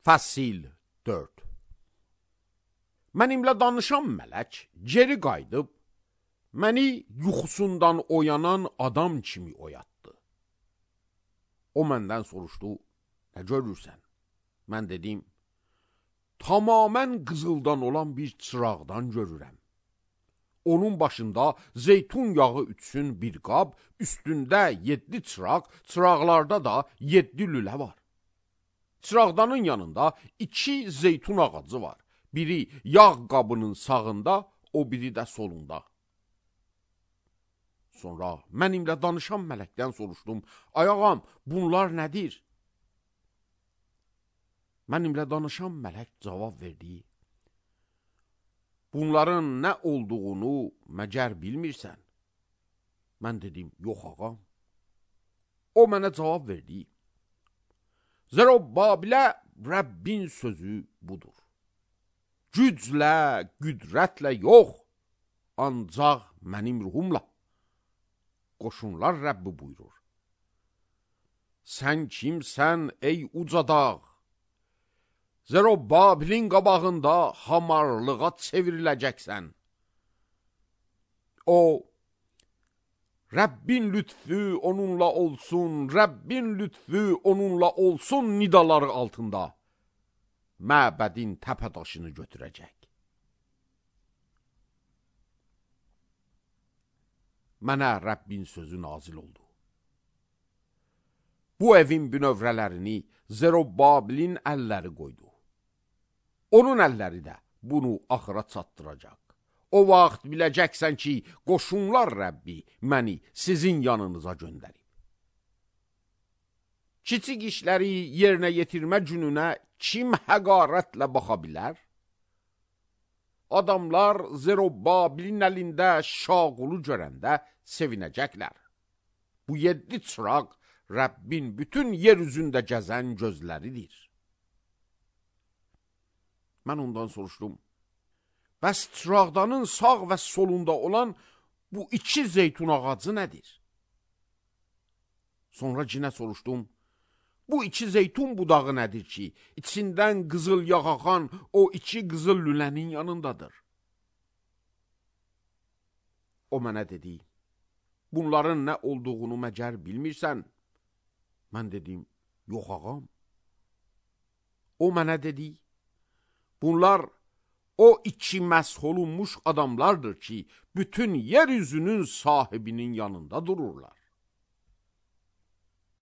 Fəsil 4. Mənimlə danışan mələk geri qayıdıb, məni yuxusundan oyanan adam kimi oyatdı. O məndən soruşdu, nə görürsən? Mən dedim, tamamən qızıldan olan bir çıraqdan görürəm. Onun başında zeytun yağı ütsün bir qab, üstündə 7 çıraq, çıraqlarda da 7 lülə var. Çıraqdanın yanında 2 zeytun ağacı var. Biri yağ qabının sağında, o biri də solunda. Sonra mənimlə danışan mələkdən soruşdum, ay ağam, bunlar nədir? Mənimlə danışan mələk cavab verdi, bunların nə olduğunu məgər bilmirsən? Mən dedim, yox ağam. O mənə cavab verdi, Zərubbabilə Rəbbin sözü budur. Güclə, qüdrətlə yox, ancaq mənim ruhumla. Qoşunlar Rəbbi buyurur. Sən kimsən ey uca dağ? Zərubbabilin qabağında hamarlığa çevriləcəksən. O, Rəbbin lütfü onunla olsun, Rəbbin lütfü onunla olsun nidaları altında məbədin təpədaşını götürəcək. Mənə Rəbbin sözü nazil oldu. Bu evin bünövrələrini Zərubbabilin əlləri qoydu. Onun əlləri də bunu axıra çatdıracaq. O vaxt biləcəksən ki, qoşunlar Rəbbi məni sizin yanınıza göndərib. Kiçik işləri yerinə yetirmə gününə kim həqarətlə baxa bilər? Adamlar Zərubbabilin əlində şaqulu görəndə sevinəcəklər. Bu 7 çıraq Rəbbin bütün yer üzündə gəzən gözləridir. Mən ondan soruşdum, bəs çıraqdanın sağ və solunda olan bu 2 zeytun ağacı nədir? Sonra cinə soruşdum, bu 2 zeytun budağı nədir ki, içindən qızıl yağ axan o 2 qızıl lülənin yanındadır? O mənə dedi, bunların nə olduğunu məgər bilmirsən? Mən dedim, yox ağam. O mənə dedi, bunlar o 2 məsh olunmuş adamlardır ki, bütün yeryüzünün sahibinin yanında dururlar.